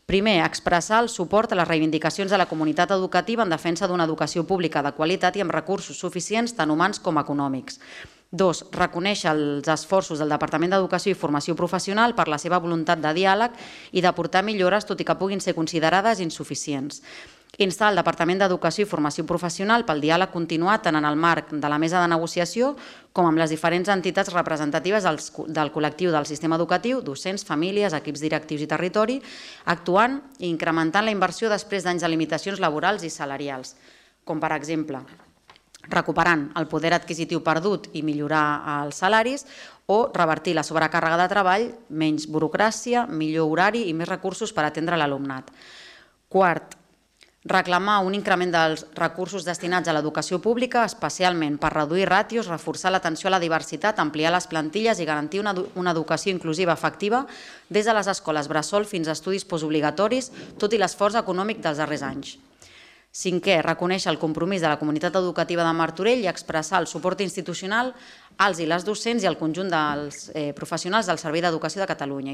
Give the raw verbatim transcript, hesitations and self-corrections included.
Primer, expressar el suport a les reivindicacions de la comunitat educativa en defensa d'una educació pública de qualitat i amb recursos suficients tant humans com econòmics. Dos, reconèixer els esforços del Departament d'Educació i Formació Professional per la seva voluntat de diàleg i d'aportar millores, tot i que puguin ser considerades insuficients. Instar el Departament d'Educació i Formació Professional pel diàleg continuat tant en el marc de la mesa de negociació com amb les diferents entitats representatives del col·lectiu del sistema educatiu, docents, famílies, equips directius i territori, actuant i incrementant la inversió després d'anys de limitacions laborals i salarials, com per exemple recuperant el poder adquisitiu perdut i millorar els salaris o revertir la sobrecàrrega de treball, menys burocràcia, millor horari i més recursos per atendre l'alumnat. Quart, reclamar un increment dels recursos destinats a l'educació pública, especialment per reduir ràtios, reforçar l'atenció a la diversitat, ampliar les plantilles i garantir una educació inclusiva efectiva des de les escoles bressol fins a estudis postobligatoris, tot i l'esforç econòmic dels darrers anys. Cinquè, reconèixer el compromís de la comunitat educativa de Martorell i expressar el suport institucional als i les docents i al conjunt dels professionals del Servei d'Educació de Catalunya.